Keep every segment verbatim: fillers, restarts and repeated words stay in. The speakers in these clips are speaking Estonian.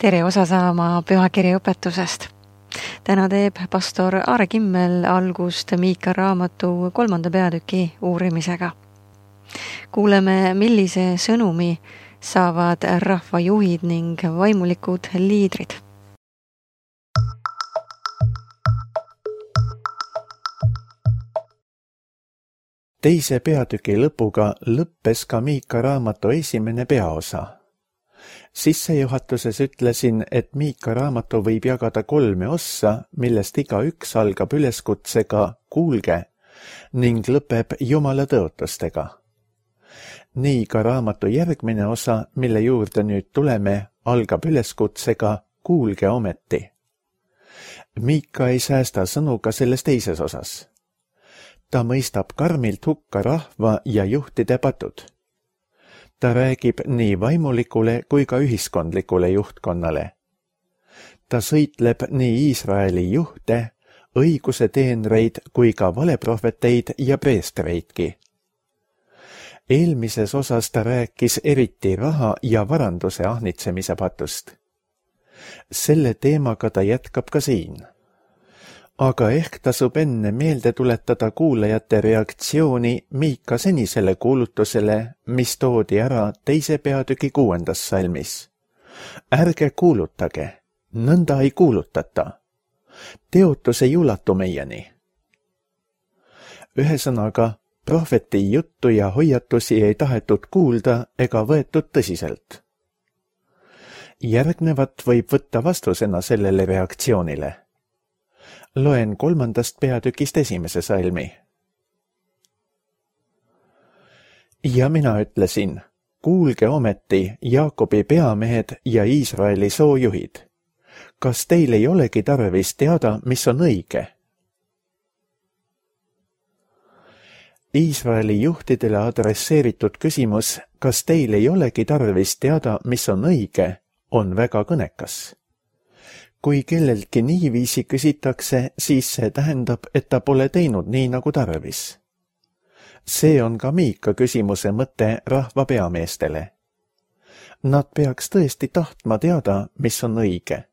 Tere osa saama pühakirja õpetusest. Täna teeb pastor Aare Kimmel algust Miika raamatu kolmanda peatüki uurimisega. Kuuleme, millise sõnumi saavad rahvajuhid ning vaimulikud liidrid. Teise peatüki lõpuga lõppes ka Miika raamatu esimene peaosa. Sissejuhatuses ütlesin, et Miika raamatu võib jagada kolme ossa, millest iga üks algab üleskutsega kuulge ning lõpeb Jumala tõotustega. Nii ka raamatu järgmine osa, mille juurde nüüd tuleme, algab üleskutsega kuulge ometi. Miika ei säästa sõnu ka selles teises osas. Ta mõistab karmilt hukka rahva ja juhtide patud. Ta räägib nii vaimulikule kui ka ühiskondlikule juhtkonnale. Ta sõitleb nii Iisraeli juhte, õiguse teenreid kui ka valeprohveteid ja preestreidki. Eelmises osas ta rääkis eriti raha ja varanduse ahnitsemise patust. Selle teemaga ta jätkab ka siin. Aga ehk tasub enne meelde tuletada kuulajate reaktsiooni Miika senisele kuulutusele, mis toodi ära teise peatüki kuuendas salmis. Ärge kuulutage, nõnda ei kuulutata. Teotus ei ulatu meieni. Ühesõnaga, prohveti juttu ja hoiatusi ei tahetud kuulda ega võetud tõsiselt. Järgnevat võib võtta vastusena sellele reaktsioonile. Loen kolmandast peatükist esimese salmi. Ja mina ütlesin, kuulge ometi Jaakobi peamehed ja Iisraeli soojuhid. Kas teil ei olegi tarvis teada, mis on õige? Iisraeli juhtidele adresseeritud küsimus, kas teil ei olegi tarvis teada, mis on õige, on väga kõnekas. Kui kelleltki niiviisi küsitakse, siis see tähendab, et ta pole teinud nii nagu tarvis. See on ka Miika küsimuse mõte rahva peameestele. Nad peaks tõesti tahtma teada, mis on õige.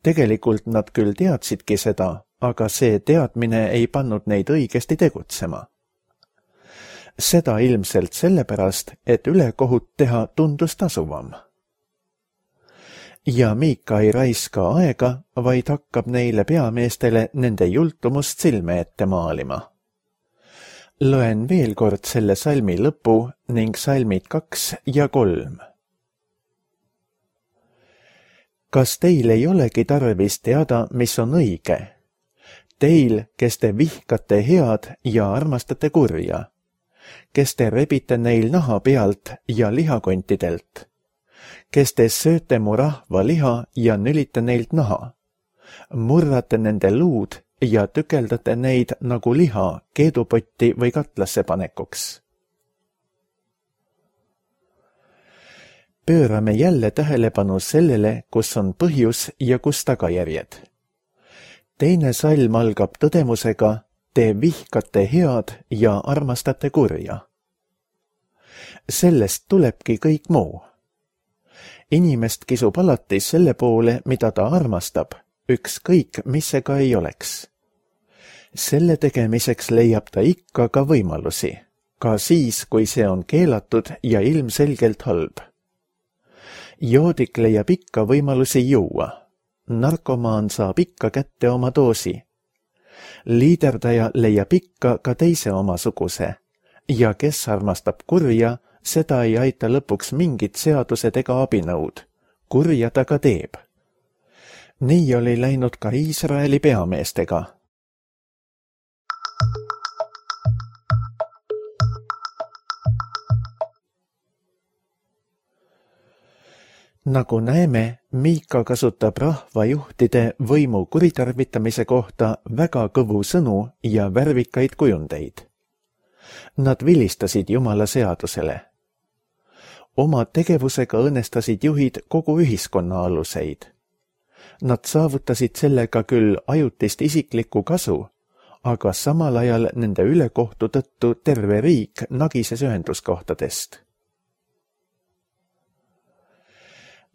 Tegelikult nad küll teadsidki seda, aga see teadmine ei pannud neid õigesti tegutsema. Seda ilmselt sellepärast, et ülekohut teha tundus tasuvam. Ja Miika ei raiska aega, vaid hakkab neile peameestele nende jultumust silme ette maalima. Loen veel kord selle salmi lõpu ning salmid kaks ja kolm. Kas teil ei olegi tarvis teada, mis on õige? Teil, kes te vihkate head ja armastate kurja, kes te rebite neil naha pealt ja lihakontidelt, kes te sööte mu rahva liha ja nülite neilt naha, murrate nende luud ja tükeldate neid nagu liha keedupotti või katlasse panekuks. Pöörame jälle tähelepanu sellele, kus on põhjus ja kus tagajärjed. Teine salm algab tõdemusega, te vihkate head ja armastate kurja. Sellest tulebki kõik muu. Inimest kisub alati selle poole, mida ta armastab, ükskõik, mis see ka ei oleks. Selle tegemiseks leiab ta ikka ka võimalusi, ka siis, kui see on keelatud ja ilmselgelt halb. Joodik leiab ikka võimalusi juua, narkomaan saab ikka kätte oma doosi. Liiderdaja leiab ikka ka teise omasuguse ja kes armastab kurja, seda ei aita lõpuks mingid seadused ega abinõud. Kurja ta ka teeb. Nii oli läinud ka Iisraeli peameestega. Nagu näeme, Miika kasutab rahvajuhtide võimu kuritarvitamise kohta väga kõvu sõnu ja värvikaid kujundeid. Nad vilistasid Jumala seadusele. Oma tegevusega õnnestasid juhid kogu ühiskonna aluseid. Nad saavutasid sellega küll ajutist isiklikku kasu, aga samal ajal nende ülekohtu tõttu terve riik nagises ühenduskohtadest.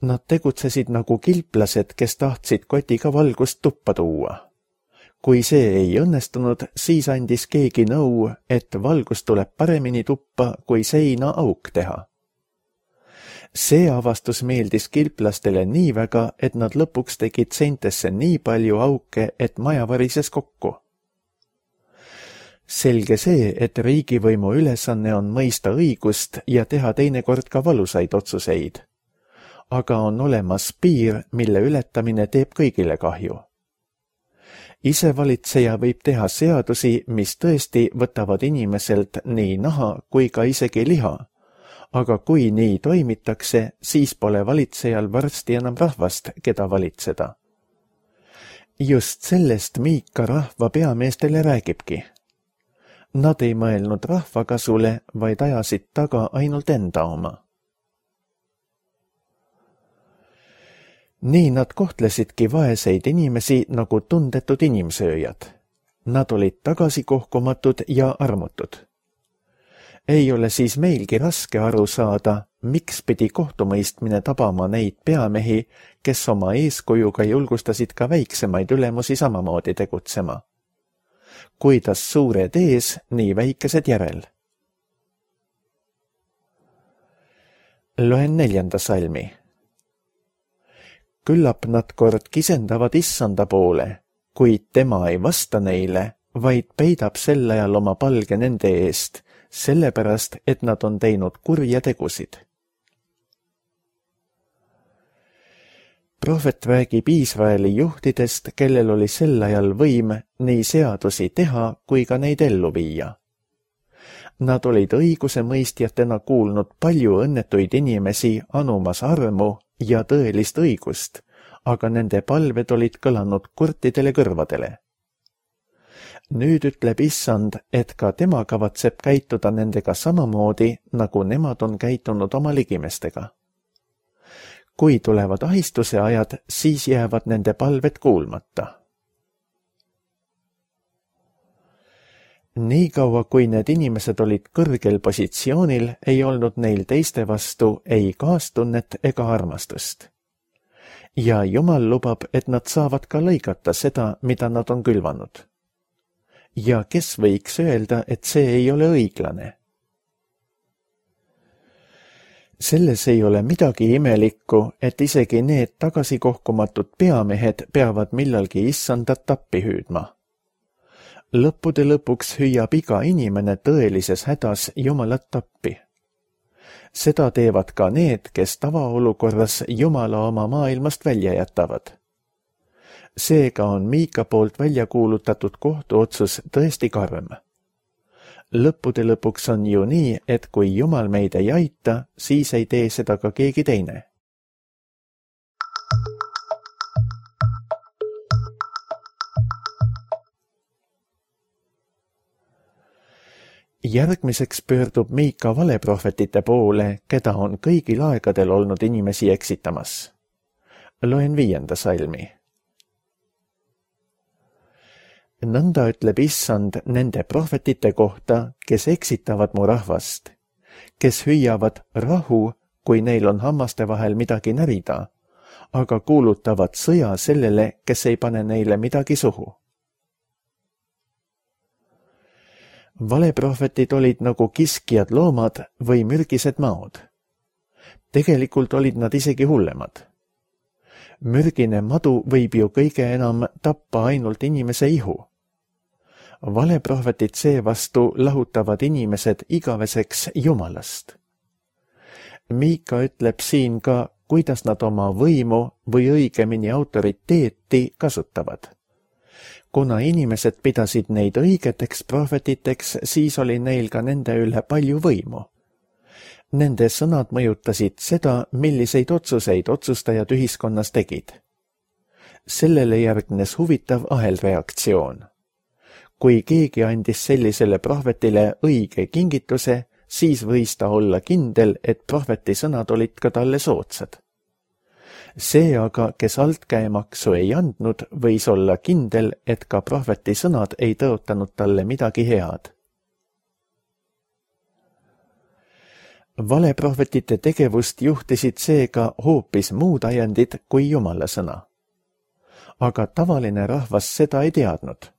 Nad tegutsesid nagu kilplased, kes tahtsid kotiga valgust tuppa tuua. Kui see ei õnnestunud, siis andis keegi nõu, et valgus tuleb paremini tuppa, kui seina auk teha. See avastus meeldis kilplastele nii väga, et nad lõpuks tegid seintesse nii palju auke, et maja varises kokku. Selge see, et riigivõimu ülesanne on mõista õigust ja teha teinekord ka valusaid otsuseid. Aga on olemas piir, mille ületamine teeb kõigile kahju. Isevalitseja võib teha seadusi, mis tõesti võtavad inimeselt nii naha kui ka isegi liha, aga kui nii toimitakse, siis pole valitsejal varsti enam rahvast, keda valitseda. Just sellest Miika rahva peameestele räägibki. Nad ei mõelnud rahva kasule, vaid ajasid taga ainult enda oma. Nii nad kohtlesidki vaeseid inimesi nagu tundetud inimsööjad. Nad olid tagasikohkumatud ja armutud. Ei ole siis meilgi raske aru saada, miks pidi kohtumõistmine tabama neid peamehi, kes oma eeskujuga julgustasid ka väiksemaid ülemusi samamoodi tegutsema. Kuidas suured ees, nii väikesed järel. Loen neljanda salmi. Küllap nad kord kisendavad issanda poole, kuid tema ei vasta neile, vaid peidab sel ajal oma palge nende eest, sellepärast, et nad on teinud kurja tegusid. Prohvet räägib Iisraeli juhtidest, kellel oli sel ajal võim nii seadusi teha kui ka neid ellu viia. Nad olid õigusemõistjatena kuulnud palju õnnetuid inimesi anumas armu ja tõelist õigust, aga nende palved olid kõlanud kurtidele kõrvadele. Nüüd ütleb issand, et ka tema kavatseb käituda nendega samamoodi, nagu nemad on käitunud oma ligimestega. Kui tulevad ahistuse ajad, siis jäävad nende palved kuulmata. Nii kaua, kui need inimesed olid kõrgel positsioonil, ei olnud neil teiste vastu ei kaastunnet ega armastust. Ja Jumal lubab, et nad saavad ka lõigata seda, mida nad on külvanud. Ja kes võiks öelda, et see ei ole õiglane? Selles ei ole midagi imelikku, et isegi need tagasikohkumatud peamehed peavad millalgi issandat tappi hüüdma. Lõppude lõpuks hüüab iga inimene tõelises hädas Jumalat tappi. Seda teevad ka need, kes tavaolukorras Jumala oma maailmast välja jätavad. Seega on Miika poolt välja kuulutatud kohtuotsus tõesti karm. Lõppude lõpuks on ju nii, et kui Jumal meid ei aita, siis ei tee seda ka keegi teine. Järgmiseks pöördub Miika valeprohvetite poole, keda on kõigil aegadel olnud inimesi eksitamas. Loen viienda salmi. Nõnda ütleb issand nende prohvetite kohta, kes eksitavad mu rahvast, kes hüüavad rahu, kui neil on hammaste vahel midagi närida, aga kuulutavad sõja sellele, kes ei pane neile midagi suhu. Valeprohvetid olid nagu kiskjad loomad või mürgised maod. Tegelikult olid nad isegi hullemad. Mürgine madu võib ju kõige enam tappa ainult inimese ihu. Valeprohvetid seevastu lahutavad inimesed igaveseks Jumalast. Miika ütleb siin ka, kuidas nad oma võimu või õigemini autoriteeti kasutavad. Kuna inimesed pidasid neid õigeteks prohvetiteks, siis oli neil ka nende üle palju võimu. Nende sõnad mõjutasid seda, milliseid otsuseid otsustajad ühiskonnas tegid. Sellele järgnes huvitav ahelreaktsioon. Kui keegi andis sellisele prohvetile õige kingituse, siis võis ta olla kindel, et prohveti sõnad olid ka talle soodsad. See aga, kes altkäemaksu ei andnud, võis olla kindel, et ka prohveti sõnad ei tõotanud talle midagi head. Valeprohvetite tegevust juhtisid seega hoopis muud ajendid kui Jumala sõna. Aga tavaline rahvas seda ei teadnud.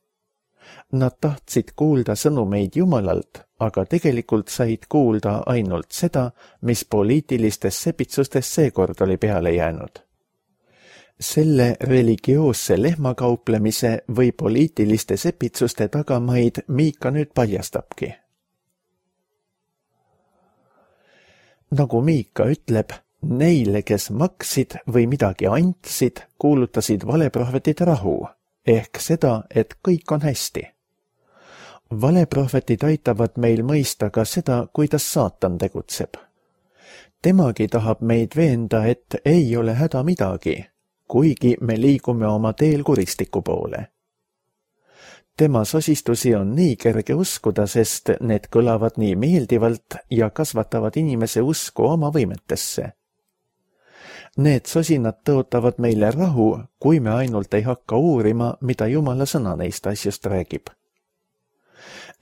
Nad tahtsid kuulda sõnumeid Jumalalt, aga tegelikult said kuulda ainult seda, mis poliitilistes sepitsustes seekord oli peale jäänud. Selle religioosse lehmakauplemise või poliitiliste sepitsuste tagamaid Miika nüüd paljastabki. Nagu Miika ütleb, neile, kes maksid või midagi andsid, kuulutasid valeprohvetid rahu, ehk seda, et kõik on hästi. Valeprohvetid aitavad meil mõista ka seda, kuidas saatan tegutseb. Temagi tahab meid veenda, et ei ole häda midagi, kuigi me liigume oma teel kuristiku poole. Tema sosistusi on nii kerge uskuda, sest need kõlavad nii meeldivalt ja kasvatavad inimese usku oma võimetesse. Need sosinad tõotavad meile rahu, kui me ainult ei hakka uurima, mida Jumala sõna neist asjust räägib.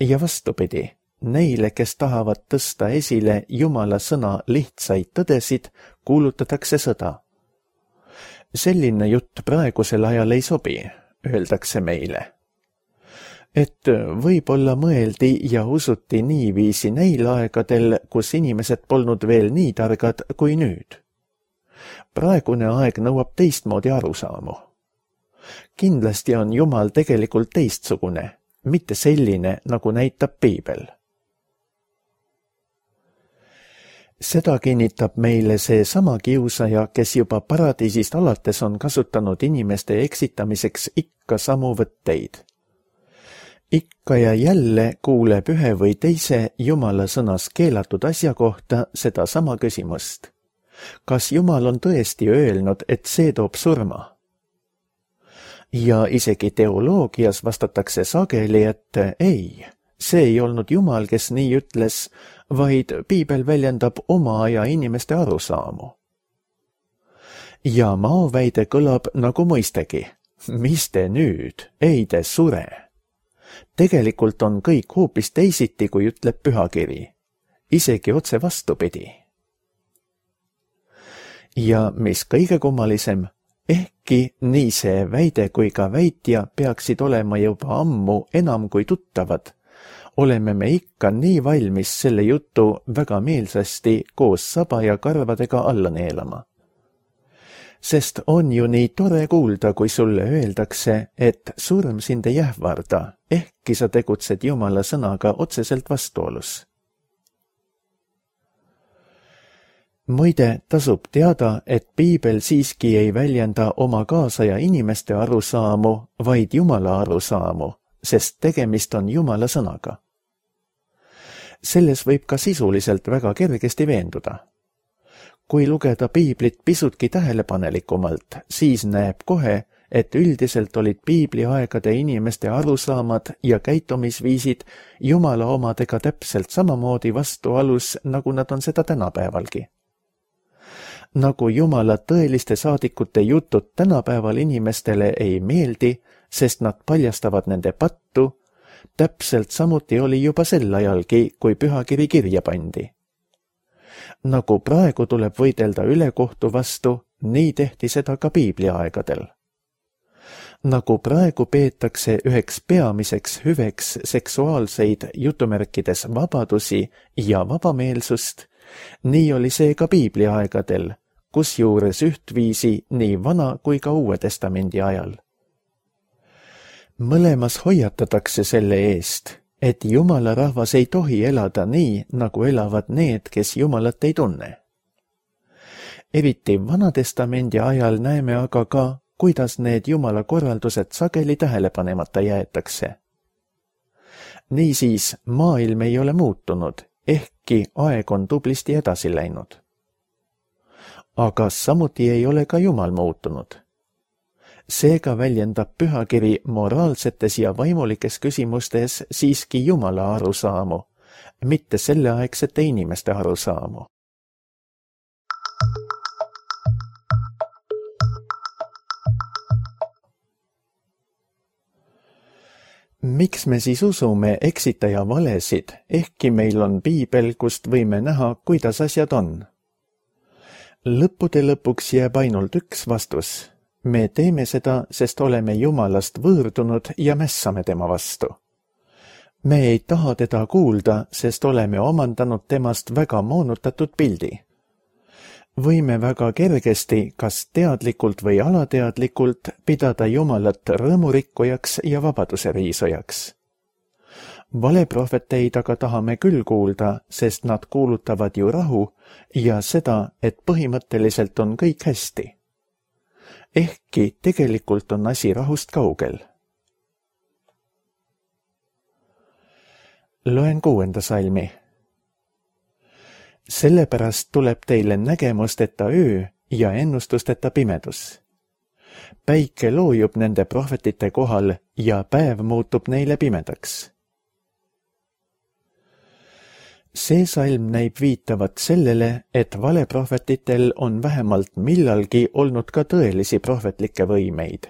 Ja vastupidi, neile, kes tahavad tõsta esile Jumala sõna lihtsaid tõdesid, kuulutatakse sõda. Selline jutt praegusel ajal ei sobi, öeldakse meile. Et võib-olla mõeldi ja usuti niiviisi neil aegadel, kus inimesed polnud veel nii targad kui nüüd. Praegune aeg nõuab teistmoodi arusaamu. Kindlasti on Jumal tegelikult teistsugune, mitte selline, nagu näitab Piibel. Seda kinnitab meile see sama kiusaja, kes juba paradiisist alates on kasutanud inimeste eksitamiseks ikka samu võtteid. Ikka ja jälle kuuleb ühe või teise Jumala sõnas keelatud asja kohta seda sama küsimust. Kas Jumal on tõesti öelnud, et see toob surma? Ja isegi teoloogias vastatakse sageli, et ei, see ei olnud Jumal, kes nii ütles, vaid Piibel väljendab oma aja inimeste arusaamu. Ja maoväide kõlab nagu mõistegi. Mis te nüüd? Ei te sure. Tegelikult on kõik hoopis teisiti, kui ütleb pühakiri. Isegi otse vastupidi. Ja mis kõige kummalisem, ehkki nii see väide kui ka väitja peaksid olema juba ammu enam kui tuttavad, oleme me ikka nii valmis selle jutu väga meelsasti koos saba ja karvadega alla neelama. Sest on ju nii tore kuulda, kui sulle öeldakse, et surm sind ei ähvarda, ehkki sa tegutsed Jumala sõnaga otseselt vastuolus. Muide, tasub teada, et Piibel siiski ei väljenda oma kaasaja inimeste arusaamu, vaid Jumala arusaamu, sest tegemist on Jumala sõnaga. Selles võib ka sisuliselt väga kergesti veenduda. Kui lugeda Piiblit pisutki tähelepanelikumalt, siis näeb kohe, et üldiselt olid Piibli aegade inimeste arusaamad ja käitumisviisid Jumala omadega täpselt samamoodi vastualus, nagu nad on seda tänapäevalgi. Nagu Jumala tõeliste saadikute jutud tänapäeval inimestele ei meeldi, sest nad paljastavad nende pattu, täpselt samuti oli juba sel ajalgi, kui pühakiri kirja pandi. Nagu praegu tuleb võidelda ülekohtu vastu, nii tehti seda ka Piibli aegadel. Nagu praegu peetakse üheks peamiseks hüveks seksuaalseid jutumärkides vabadusi ja vabameelsust, nii oli see ka Piibli aegadel, kusjuures ühtviisi nii vana kui ka Uue Testamendi ajal. Mõlemas hoiatatakse selle eest, et Jumala rahvas ei tohi elada nii, nagu elavad need, kes Jumalat ei tunne. Eriti Vanatestamendi ajal näeme aga ka, kuidas need Jumala korraldused sageli tähelepanemata jäetakse. Niisiis, maailm ei ole muutunud, ehkki aeg on tublisti edasi läinud. Aga samuti ei ole ka Jumal muutunud. Seega väljendab pühakiri moraalsetes ja vaimulikes küsimustes siiski Jumala arusaamu, mitte selleaegsete inimeste arusaamu. Miks me siis usume eksitaja valesid, ehkki meil on piibel, kust võime näha, kuidas asjad on? Lõppude lõpuks jääb ainult üks vastus. Me teeme seda, sest oleme Jumalast võõrdunud ja mässame tema vastu. Me ei taha teda kuulda, sest oleme omandanud temast väga moonutatud pildi. Võime väga kergesti, kas teadlikult või alateadlikult, pidada Jumalat rõõmurikkujaks ja vabaduse riisujaks. Valeprohveteid aga tahame küll kuulda, sest nad kuulutavad ju rahu ja seda, et põhimõtteliselt on kõik hästi. Ehkki tegelikult on asi rahust kaugel. Loen kuuenda salmi. Sellepärast tuleb teile nägemusteta öö ja ennustusteta pimedus. Päike loojub nende prohvetite kohal ja päev muutub neile pimedaks. See salm näib viitavat sellele, et valeprohvetitel on vähemalt millalgi olnud ka tõelisi prohvetlikke võimeid.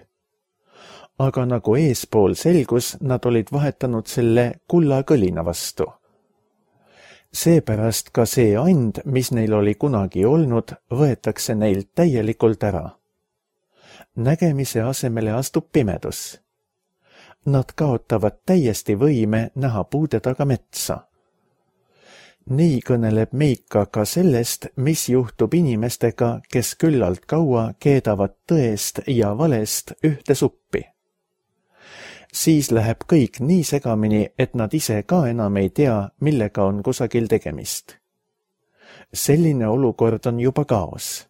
Aga nagu eespool selgus, nad olid vahetanud selle kulla kõlina vastu. Seepärast ka see and, mis neil oli kunagi olnud, võetakse neilt täielikult ära. Nägemise asemele astub pimedus. Nad kaotavad täiesti võime näha puude taga metsa. Nii kõneleb Miika ka sellest, mis juhtub inimestega, kes küllalt kaua keedavad tõest ja valest ühte suppi. Siis läheb kõik nii segamini, et nad ise ka enam ei tea, millega on kusagil tegemist. Selline olukord on juba kaos.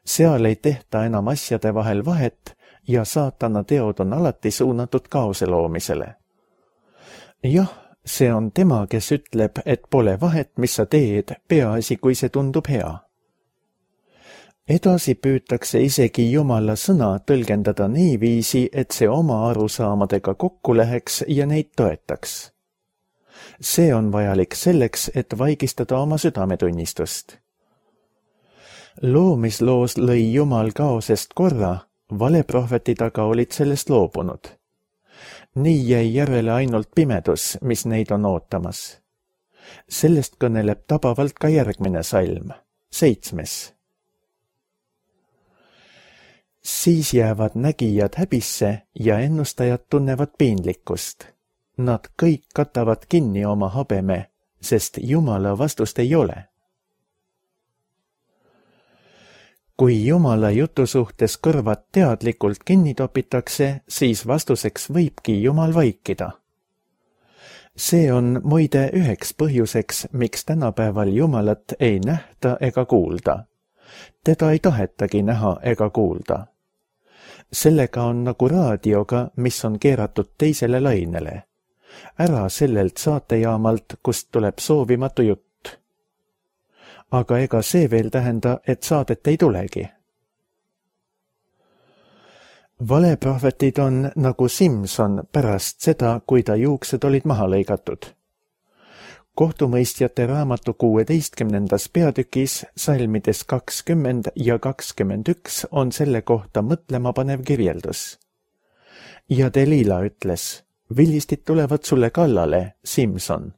Seal ei tehta enam asjade vahel vahet ja saatana teod on alati suunatud kaose loomisele. Jah, see on tema, kes ütleb, et pole vahet, mis sa teed, peaasi, kui see tundub hea. Edasi püütakse isegi Jumala sõna tõlgendada niiviisi, et see oma arusaamadega kokku läheks ja neid toetaks. See on vajalik selleks, et vaigistada oma südametunnistust. Loomisloos lõi Jumal kaosest korra, valeprohvetid aga olid sellest loobunud. Nii jäi järele ainult pimedus, mis neid on ootamas. Sellest kõneleb tabavalt ka järgmine salm, seitsmes. Siis jäävad nägijad häbisse ja ennustajad tunnevad piinlikkust. Nad kõik katavad kinni oma habeme, sest Jumala vastust ei ole. Kui Jumala jutu suhtes kõrvad teadlikult kinni topitakse, siis vastuseks võibki Jumal vaikida. See on muide üheks põhjuseks, miks tänapäeval Jumalat ei nähta ega kuulda. Teda ei tahetagi näha ega kuulda. Sellega on nagu raadioga, mis on keeratud teisele lainele. Ära sellelt saatejaamalt, kust tuleb soovimatu jutt. Aga ega see veel tähenda, et saadet ei tulegi. Valeprohvetid on nagu Simson pärast seda, kui ta juuksed olid maha lõigatud. Kohtumõistjate raamatu kuueteistkümnendas peatükis salmides kakskümmend ja kakskümmend üks on selle kohta mõtlemapanev kirjeldus. Ja Delila ütles, vilistid tulevad sulle kallale, Simson.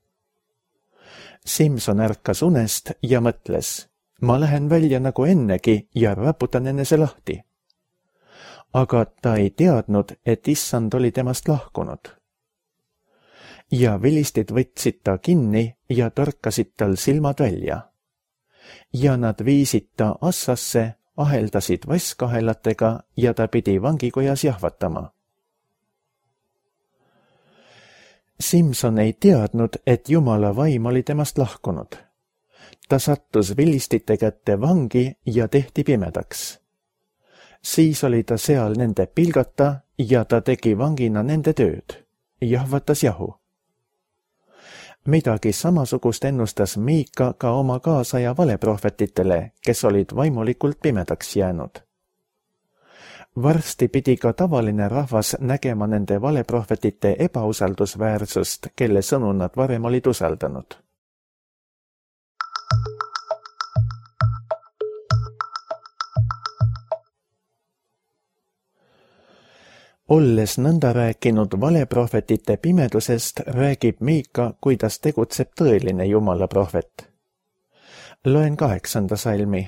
Simson ärkas unest ja mõtles, ma lähen välja nagu ennegi ja raputan enese lahti. Aga ta ei teadnud, et issand oli temast lahkunud. Ja vilistid võtsid ta kinni ja torkasid tal silmad välja. Ja nad viisid ta assasse, aheldasid vasskahelatega ja ta pidi vangikojas jahvatama. Simson ei teadnud, et Jumala vaim oli temast lahkunud. Ta sattus vilistite kätte vangi ja tehti pimedaks. Siis oli ta seal nende pilgata ja ta tegi vangina nende tööd, jahvatas jahu. Midagi samasugust ennustas Miika ka oma kaasaja valeprohvetitele, kes olid vaimulikult pimedaks jäänud. Varsti pidi ka tavaline rahvas nägema nende valeprohvetite ebausaldusväärsust, kelle sõnu nad varem olid usaldanud. Olles nõnda rääkinud valeprohvetite pimedusest, räägib Miika, kuidas tegutseb tõeline Jumala prohvet. Loen kaheksanda salmi.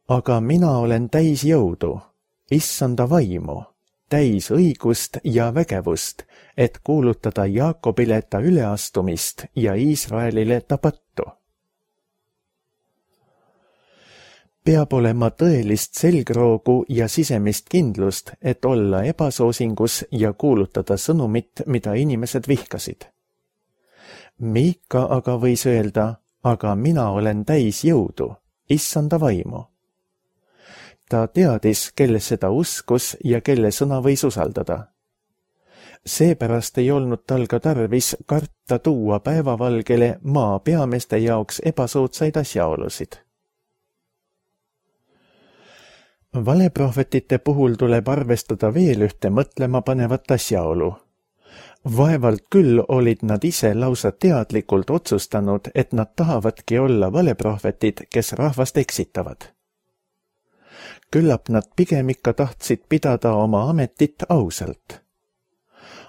Aga mina olen täis jõudu, issanda vaimu, täis õigust ja vägevust, et kuulutada Jaakobile ta üleastumist ja Iisraelile ta pattu. Peab olema tõelist selgroogu ja sisemist kindlust, et olla ebasoosingus ja kuulutada sõnumit, mida inimesed vihkasid. Miika aga võis öelda, aga mina olen täis jõudu, issanda vaimu. Ta teadis, kellesse ta uskus ja kelle sõna võis usaldada. Seepärast ei olnud tal ka tarvis karta tuua päevavalgele maa peameeste jaoks ebasoodsaid asjaolusid. Valeprohvetite puhul tuleb arvestada veel ühte mõtlema panevat asjaolu. Vaevalt küll olid nad ise lausa teadlikult otsustanud, et nad tahavadki olla valeprohvetid, kes rahvast eksitavad. Küllap nad pigem ikka tahtsid pidada oma ametit ausalt.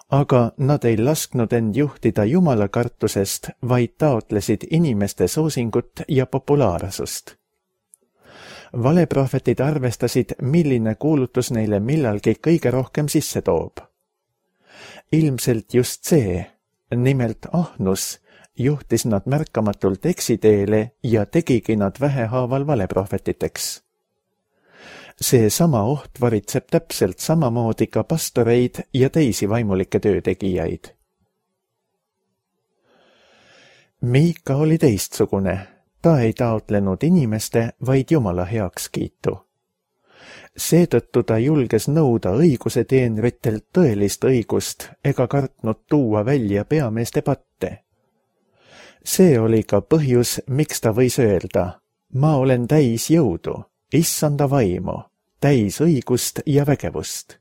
Aga nad ei lasknud end juhtida Jumala kartusest, vaid taotlesid inimeste soosingut ja populaarsust. Valeprohvetid arvestasid, milline kuulutus neile millalgi kõige rohkem sisse toob. Ilmselt just see, nimelt ahnus, juhtis nad märkamatult eksiteele ja tegigi nad vähehaaval valeprohvetiteks. See sama oht varitseb täpselt samamoodi ka pastoreid ja teisi vaimulikke töötegijaid. Miika oli teistsugune. Ta ei taotlenud inimeste, vaid Jumala heakskiitu. Seetõttu ta julges nõuda õiguse teenritelt tõelist õigust ega kartnud tuua välja peameeste patte. See oli ka põhjus, miks ta võis öelda, ma olen täis jõudu, issanda vaimu, täis õigust ja vägevust.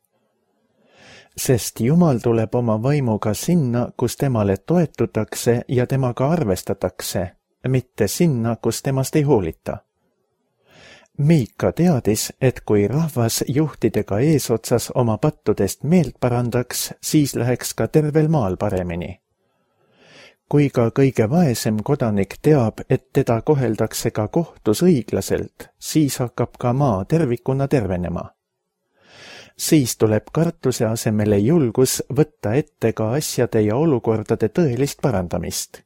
Sest Jumal tuleb oma vaimuga sinna, kus temale toetutakse ja temaga arvestatakse, mitte sinna, kus temast ei hoolita. Miika teadis, et kui rahvas juhtidega eesotsas oma pattudest meelt parandaks, siis läheks ka tervel maal paremini. Kui ka kõige vaesem kodanik teab, et teda koheldakse ka kohtus õiglaselt, siis hakkab ka maa tervikuna tervenema. Siis tuleb kartuse asemele julgus võtta ette ka asjade ja olukordade tõelist parandamist.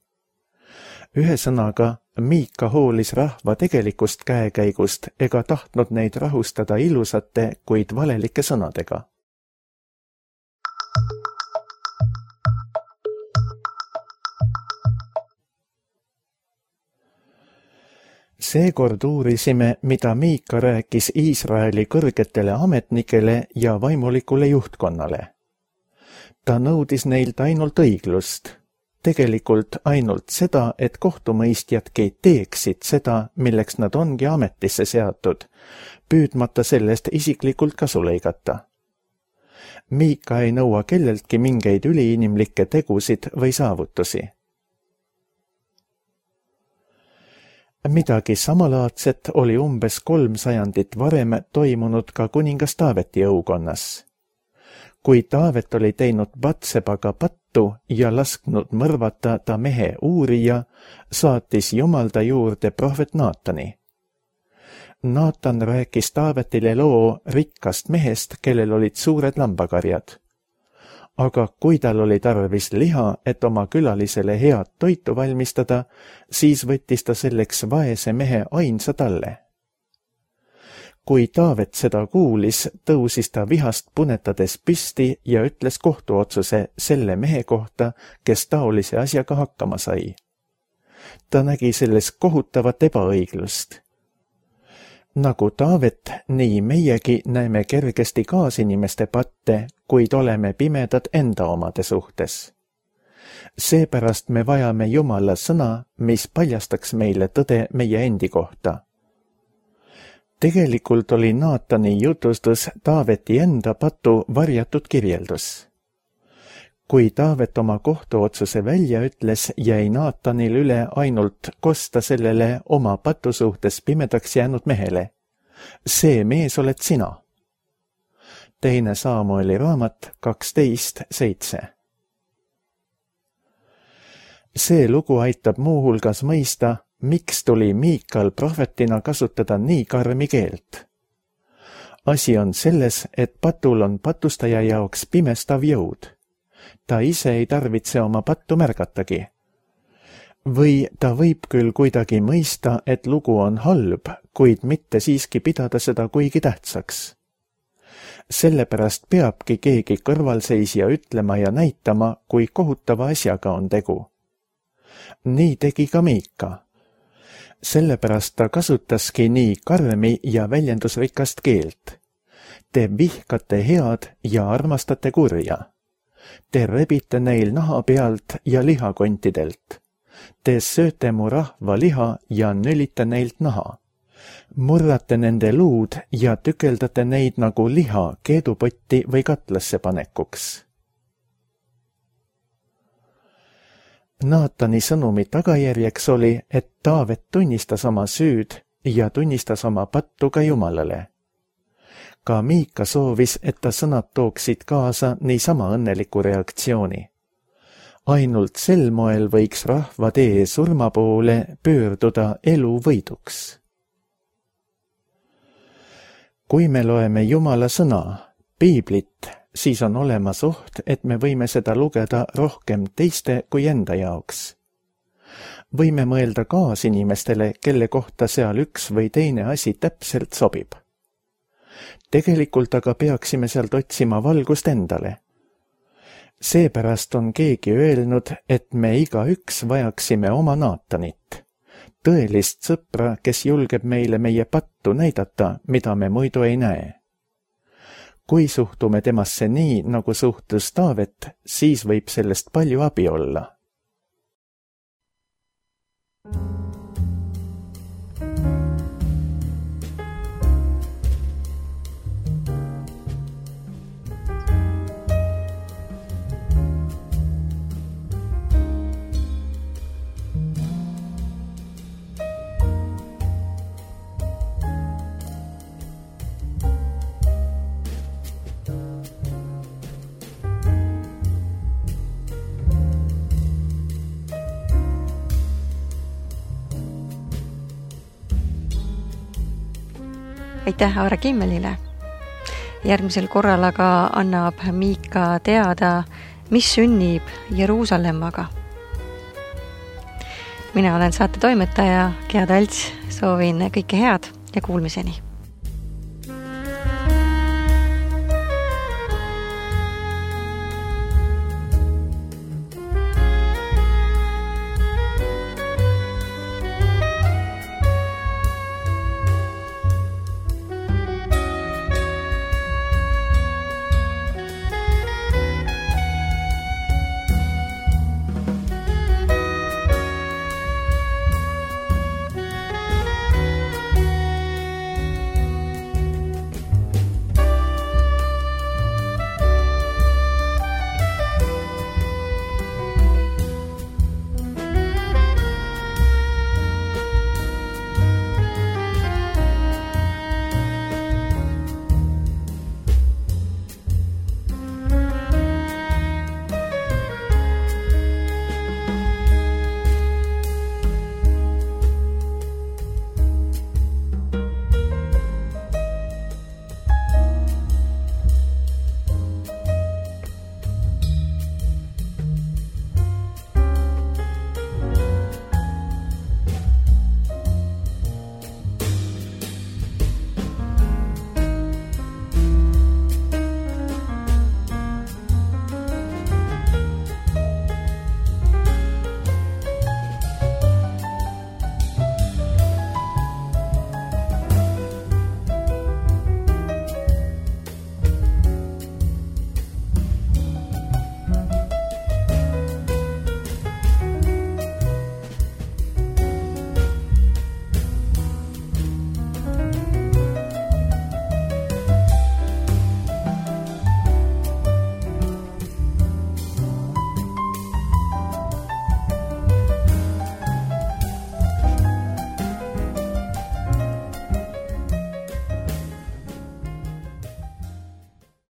Ühesõnaga, Miika hoolis rahva tegelikust käekäigust ega tahtnud neid rahustada ilusate, kuid valelike sõnadega. Seekord uurisime, mida Miika rääkis Iisraeli kõrgetele ametnikele ja vaimulikule juhtkonnale. Ta nõudis neilt ainult õiglust. Tegelikult ainult seda, et kohtumõistjadki teeksid seda, milleks nad ongi ametisse seatud, püüdmata sellest isiklikult kasu lõigata. Miika ei nõua kelleltki mingeid üliinimlikke tegusid või saavutusi. Midagi samalaadset oli umbes kolm sajandit varem toimunud ka kuningas Taaveti õukonnas. Kui Taavet oli teinud Batsebaga pattu ja lasknud mõrvata ta mehe Uurija, saatis Jumal ta juurde prohvet Naatani. Naatan rääkis Taavetile loo rikkast mehest, kellel olid suured lambakarjad. Aga kui tal oli tarvis liha, et oma külalisele head toitu valmistada, siis võttis ta selleks vaese mehe ainsa talle. Kui Taavet seda kuulis, tõusis ta vihast punetades püsti ja ütles kohtuotsuse selle mehe kohta, kes taolise asjaga hakkama sai. Ta nägi selles kohutavat ebaõiglust. Nagu Taavet, nii meiegi näeme kergesti kaasinimeste patte, kuid oleme pimedad enda omade suhtes. Seepärast me vajame Jumala sõna, mis paljastaks meile tõde meie endi kohta. Tegelikult oli Naatani jutustus Taaveti enda patu varjatud kirjeldus. Kui Taavet oma kohtuotsuse välja ütles, jäi Naatanil üle ainult kosta sellele oma patu suhtes pimedaks jäänud mehele. See mees oled sina. teine Saamueli raamat kaksteist seitse. See lugu aitab muuhulgas mõista, miks tuli Miikal prohvetina kasutada nii karmi keelt. Asi on selles, et patul on patustaja jaoks pimestav jõud. Ta ise ei tarvitse oma pattu märgatagi. Või ta võib küll kuidagi mõista, et lugu on halb, kuid mitte siiski pidada seda kuigi tähtsaks. Sellepärast peabki keegi kõrvalseisja ütlema ja näitama, kui kohutava asjaga on tegu. Nii tegi ka Miika. Sellepärast ta kasutaski nii karmi ja väljendusrikast keelt. Te vihkate head ja armastate kurja. Te rebite neil naha pealt ja lihakontidelt. Te sööte mu rahva liha ja nölite neilt naha. Murrate nende luud ja tükeldate neid nagu liha keedupotti või katlasse panekuks. Naatani sõnumi tagajärjeks oli, et Taavet tunnistas oma süüd ja tunnistas oma pattu ka Jumalale. Ka Miika soovis, et ta sõnad tooksid kaasa niisama õnneliku reaktsiooni. Ainult sel moel võiks rahva tee surma poole pöörduda elu võiduks. Kui me loeme Jumala sõna, Piiblit, siis on olemas oht, et me võime seda lugeda rohkem teiste kui enda jaoks. Võime mõelda kaasinimestele, kelle kohta seal üks või teine asi täpselt sobib. Tegelikult aga peaksime sealt otsima valgust endale. Seepärast on keegi öelnud, et me igaüks vajaksime oma Naatanit, tõelist sõpra, kes julgeb meile meie pattu näidata, mida me muidu ei näe. Kui suhtume temasse nii, nagu suhtus Taavet, siis võib sellest palju abi olla. Aitäh Aare Kimmelile. Järgmisel korral aga annab Miika teada, mis sünnib Jeruusalemmaga. Mina olen saate toimetaja Gea Talts, soovin kõike head ja kuulmiseni.